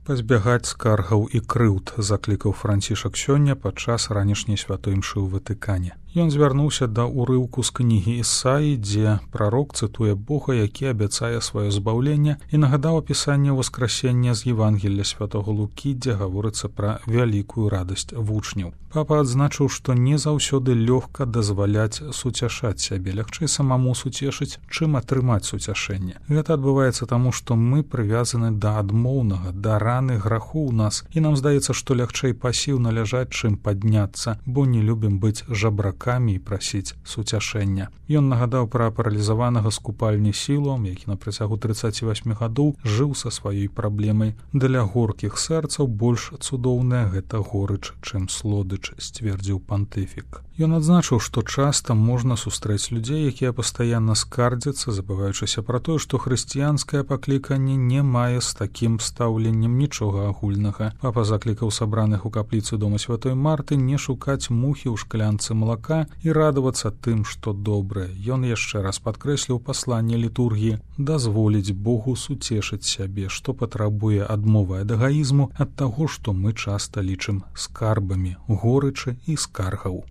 Пазбягаць скаргаў і крыўд, заклікаў Францішак сёння падчас ранішняй святой імшы ў Ватыкане. Ён звярнуўся да ўрыўку з кнігі Ісаі, дзе прарок цытуе Бога, які абяцае сваё збаўленне, і нагадаў апісанне ўваскрасення з Евангелля святого Лукі, дзе гаворыцца пра вялікую радасць вучняў. Папа адзначыў, што не заўсёды лёгка дазваляць суцяшаць сябе, лягчэй самому суцешыць, чым атрымаць суцяшэнне. Гэта адбываецца таму, што мы прывязаны да адмоўнага, да раны граху ў нас, і нам здаецца, што лягчэй пасіўна ляжаць, чым падняцца, бо не любім быць жабракамі і прасіць суцяшэння. Ён нагадаў пра паралізаванага з купальні Сілуам, які на працягу 38 гадоў жыў са сваёй праблемай. Для горкіх сэрцаў больш цудоўная гэта горыч, чым слодыч, сцвердзіў пантыфік. Ён адзначыў, што часта можна сустрэць людзей, якія пастаянна скардзяцца, забываючыся пра тое, што хрысціянскае пакліканне не мае з такім стаўленнем нічога агульнага. Папа заклікаў сабраных у капліцы дома святой Марты не шукаць мухі ў шклянцы малака і радавацца тым, што добрае. Ён яшчэ раз падкрэсліў пасланне літургіі дазволіць Богу суцешыць сябе, што патрабуе адмовы ад эгаізму, ад таго, што мы часта лічым скарбамі горычы і скаргаў.